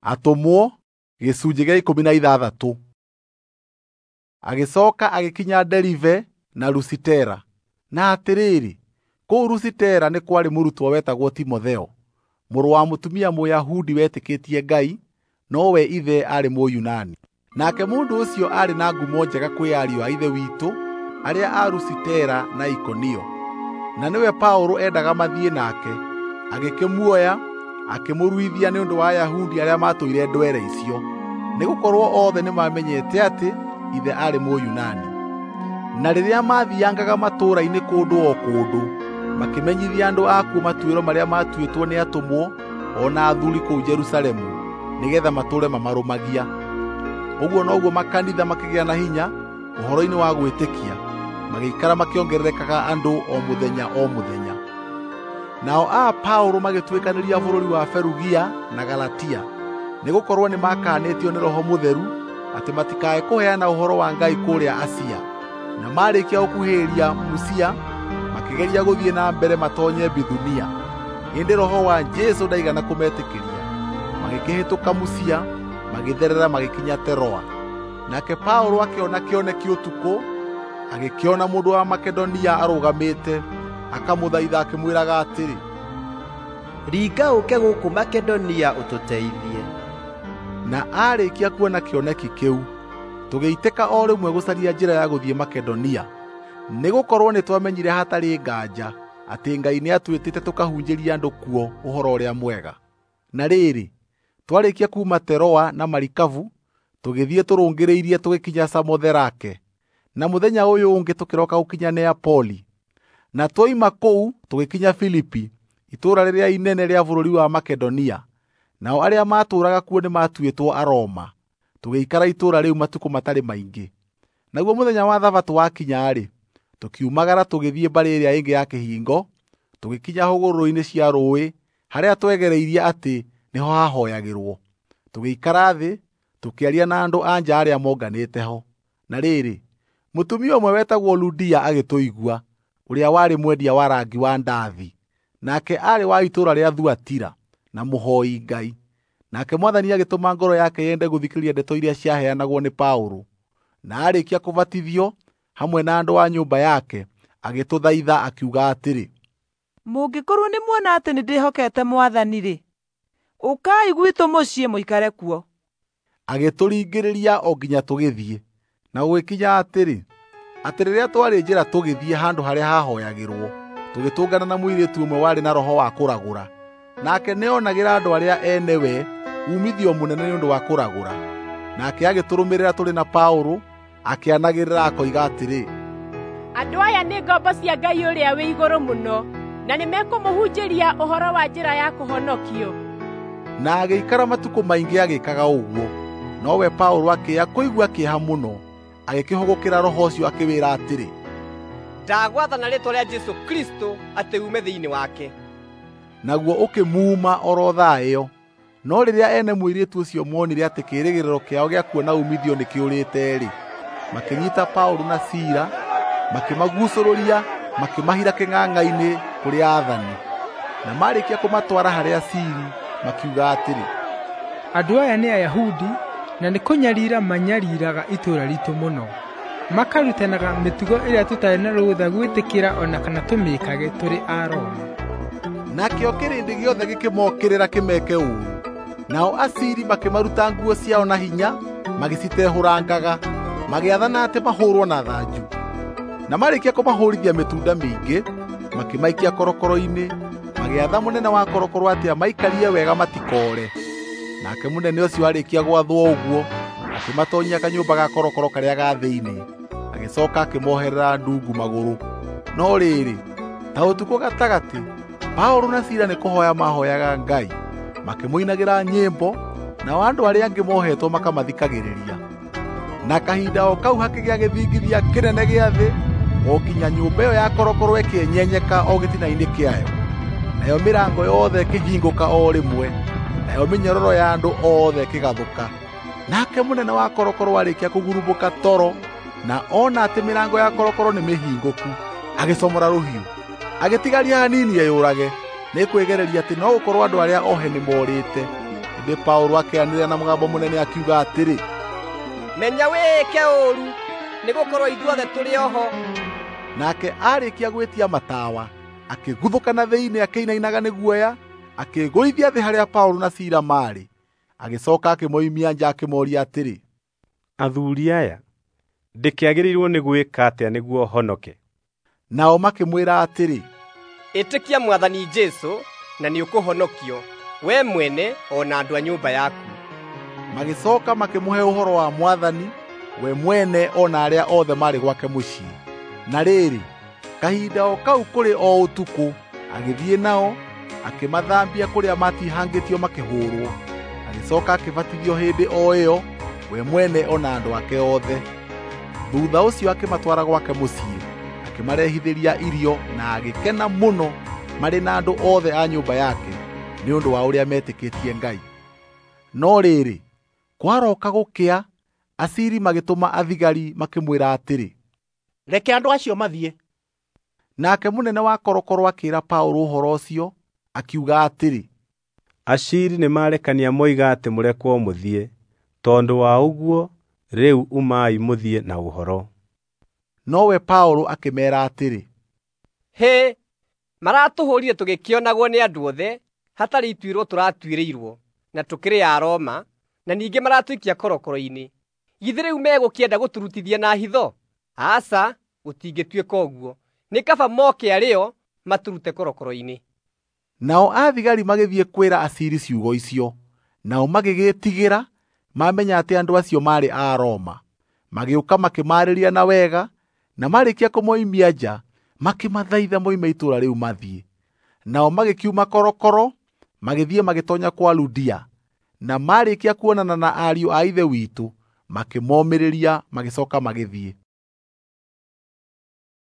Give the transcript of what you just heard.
Atũmwo gĩcunjĩ gĩa 16. Agĩcoka agĩkinya Deribe na Lusitera. Na atĩrĩrĩ, kũu Lusitera nĩ kwarĩ mũrutwo wetagwo Timotheo, mũrũ wa mũtumia Mũyahudi wetĩkĩtie Ngai, nowe ithe aarĩ Mũyunani. Nake mũndũ ũcio aarĩ na ngumo njega kwĩ ariũ a Ithe witũ arĩa a Lusitera na Ikonio. Na nĩwe Paũlũ endaga mathiĩ nake, agĩkĩmuoya akĩmũruithia nĩ ũndũ wa Ayahudi arĩa maatũire ndwere icio, nĩgũkorwo othe nĩmamenyete atĩ ithe aarĩ Mũyunani. Na rĩrĩa maathiangaga matũũra-inĩ kũndũ o kũndũ, makĩmenyithia andũ akuo matuĩro marĩa maatuĩtwo nĩ atũmwo o na athuuri kũu Jerusalemu, nĩgeetha matũũre mamarũmagia. Ũguo noguo makanitha makĩgĩa na hinya ũhoro-inĩ wa gwĩtĩkia, magĩikara makĩongererekaga andũ o mũthenya o mũthenya. Nao a Paũlũ magĩtuĩkanĩria bũrũri wa Ferugia na Galatia, nĩgũkorwo nĩmakanĩtio nĩ Roho Mũtheru atĩ matikae kũheana ũhoro wa Ngai kũrĩa Asia. Na maarĩkia gũkuhĩrĩria Musia, makĩgeria gũthiĩ na mbere matoonye Bithunia, ĩndĩ Roho wa Jesũ ndaigana kũmetĩkĩria. Magĩkĩhĩtũka Musia, magĩtherera magĩkinya Teroa. Nake Paũlũ akĩona kĩoneki ũtukũ, agĩkĩona mũndũ wa Makedonia arũgamĩte, akamũthaitha akĩmwĩraga atĩrĩ, "Ringa ũũke gũkũ Makedonia ũtũteithie." Na aarĩkia kuona kĩoneki kĩu, tũgĩitĩka o rĩmwe gũcaria njĩra ya gũthiĩ Makedonia, nĩgũkorwo nĩtwamenyire hatarĩ nganja atĩ Ngai nĩatwĩtĩte tũkahunjĩrie andũ kuo Ũhoro-ũrĩa-Mwega. Na rĩrĩ, twarĩkia kuuma Teroa na marikabu, tũgĩthiĩ tũrũngĩrĩirie tũgĩkinya Samotherake, na mũthenya ũyũ ũngĩ tũkĩroka gũkinya Neapoli. Na twoima kũu tũgĩkinya Filipi, itũũra rĩrĩa inene rĩa bũrũri wa Makedonia. Nao arĩa maatũũraga kuo nĩmatuĩtwo Aroma. Tũgĩikara itũũra rĩu matukũ matarĩ maingĩ. Naguo mũthenya wa Thabatũ wakinya-rĩ, tũkiumagara tũgĩthiĩ mbarĩ ĩrĩa ĩngĩ ya kĩhingo, tũgĩkinya hũgũrũrũ-inĩ cia rũũĩ harĩa twegereirie atĩ nĩho hahooyagĩrwo. Tũgĩikara thĩ, tũkĩaria na andũ a nja arĩa monganĩte ho. Na rĩrĩ, mũtumia ũmwe wetagwo Ludia agĩtũigua, ũrĩa warĩ mwendia wa rangi wa ndathi. Nake aarĩ wa itũũra rĩa Thuatira na mũhooi Ngai. Nake Mwathani agĩtũma ngoro yake yende gũthikĩrĩria ndeto iria ciaheanagwo nĩ Paũlũ. Na aarĩkia kũbatithio hamwe na andũ a nyũmba yake, agĩtũthaitha akiuga atĩrĩ, "Mũngĩkorwo nĩmuona atĩ nĩndĩhokete Mwathani-rĩ, ũkai gwitũ mũciĩ mũikare kuo." Agĩtũringĩrĩria o nginya tũgĩthiĩ. Na gũgĩkinya atĩrĩ, atĩ rĩrĩa twarĩ njĩra tũgĩthiĩ handũ harĩa hahooyagĩrwo, tũgĩtũngana na mũirĩtu ũmwe warĩ na roho wa kũragũra. Nake nĩonagĩra andũ arĩa ene we uumithio mũnene nĩ ũndũ wa kũragũra. Nake agĩtũrũmĩrĩra tũrĩ na Paũlũ, akĩanagĩrĩra akoiga atĩrĩ, "Andũ aya nĩ ngombo cia Ngai ũrĩa wĩ igũrũ mũno, na nĩmekũmũhunjĩria ũhoro wa njĩra ya kũhonokio." Na agĩikara matukũ maingĩ agĩkaga ũguo. Nowe Paũlũ akĩĩa kũigua kĩeha mũno, agĩkĩhũgũkĩra roho ũcio akĩwĩra atĩrĩ, "Ndagwathana rĩĩtwa rĩa Jesũ Kristũ atĩ uume thĩinĩ wake." Naguo ũkĩmuuma o ro thaa ĩyo. No rĩrĩa ene mũirĩtu ũcio moonire atĩ kĩĩrĩgĩrĩro kĩao gĩa kuona uumithio nĩkĩũrĩte-rĩ, makĩnyiita Paũlũ na Sila, makĩmaguucũrũria, makĩmahira kĩng'ang'a-inĩ kũrĩ aathani. Na maarĩkia kũmatwara harĩ Asiiri, makiuga atĩrĩ, "Andũ aya nĩ Ayahudi na nĩ kũnyarira manyariiraga itũũra riitũ mũno. Makarutanaga mĩtugo ĩrĩa tũtarĩ na rũtha gwĩtĩkĩra o na kana tũmĩĩkage tũrĩ Aroma." Nakĩo kĩrĩndĩ gĩothe gĩkĩmookĩrĩra kĩmeke ũũru. Nao Asiiri makĩmaruta nguo ciao na hinya, magĩcitehũrangaga, magĩathana atĩ mahũũrwo na thanju. Na maarĩkia kũmahũũrithia mĩtunda mĩingĩ, makĩmaikia korokoro-inĩ, magĩatha mũnene wa korokoro atĩ amaikarie wega matikoore. Nake mũnene ũcio aarĩkia gwathwo ũguo, akĩmatoonyia kanyũmba ga korokoro karĩa ga thĩinĩ, agĩcooka akĩmoherera ndungu magũrũ. No rĩrĩ, ta ũtukũ gatagatĩ, Paũlũ na Sila nĩkũhooya mahooyaga Ngai, makĩmũinagĩra nyĩmbo, nao andũ arĩa angĩ mohetwo makamathikagĩrĩria. Na kahinda o kau hakĩgĩa gĩthingithia kĩnene gĩa thĩ, o nginya nyũmba ĩyo ya korokoro ĩkĩenyenyeka o gĩtina-inĩ kĩayo. Nayo mĩrango yothe ĩkĩhingũka o rĩmwe, nayo mĩnyororo ya andũ othe ĩkĩgathũka. Nake mũnene wa korokoro aarĩkia kũgurumũka toro na ona atĩ mĩrango ya korokoro nĩmĩhingũku, agĩcomora rũhiũ, agĩtigaria hanini eyũrage, nĩ kwĩgereria atĩ no gũkorwo andũ arĩa ohe nĩmorĩte. Ĩndĩ Paũlũ akĩanĩrĩra na mũgambo mũnene akiuga atĩrĩ, Menya wĩĩke ũũru, nĩgũkorwo ithuothe tũrĩ o ho. Nake aarĩkia gwĩtia matawa, akĩguthũka na thĩinĩ akĩinainaga nĩ guoya, akĩĩgũithia thĩ harĩa Paũlũ na Sila maarĩ. Agĩcooka akĩmoimia nja akĩmooria atĩrĩ, Athuri aya, ndĩkĩagĩrĩirwo nĩ gwĩka atĩa nĩguo honoke? Nao makĩmwĩra atĩrĩ, Ĩtĩkia Mwathani Jesũ na nĩũkũhonokio, we mwene o na andũ a nyũmba yaku. Magĩcooka makĩmũhe ũhoro wa Mwathani, we mwene o na arĩa othe maarĩ gwake mũciĩ. Na rĩrĩ, kahinda o kau kũrĩ o ũtukũ, agĩthiĩ nao, akĩmathambia kũrĩa maatihangĩtio makĩhũũrwo. Agĩcooka akĩbatithio hĩndĩ o ĩyo, we mwene o na andũ ake othe. Thuutha ũcio akĩmatwara gwake mũciĩ, akĩmarehithĩria irio na agĩkena mũno marĩ na andũ othe a nyũmba yake nĩ ũndũ wa ũrĩa meetĩkĩtie Ngai. No rĩrĩ, kwaroka gũkĩa, Aciri magĩtũma athigari makĩmwĩra atĩrĩ, Reke andũ acio mathiĩ. Nake mũnene wa korokoro akĩĩra Paũlũ ũhoro ũcio, akiuga atĩrĩ, Aciri nĩmarekania moiga atĩ mũrekwo mũthiĩ. Tondũ wa ũguo, rĩu umai mũthiĩ na ũhoro. Nowe Paũlũ akĩmeera atĩrĩ, Hĩ, maratũhũũrire tũgĩkĩonagwo nĩ andũ othe, hatarĩ ituĩro tũratuĩrĩirwo, na tũkĩrĩ Aroma, na ningĩ maratũikia korokoro-inĩ. Githĩ rĩu megũkĩenda gũtũrutithia na hitho? Aca, gũtingĩtuĩka ũguo. Nĩ kaba moke arĩ o matũrute korokoro-inĩ. Nao athigari magĩthiĩ kwĩra Aciri ciugo icio, nao magĩgĩĩtigĩra mamenya atĩ andũ acio maarĩ a Roma. Magĩũka makĩmaarĩria na wega, na marĩkia kũmoimia nja, makĩmathaitha moime itũũra rĩu mathiĩ. Nao magĩkiuma korokoro, magĩthiĩ magĩtoonya kwa Ludia, na marĩkia kuonana na ariũ a Ithe witũ, makĩmomĩrĩria magĩcooka magĩthiĩ.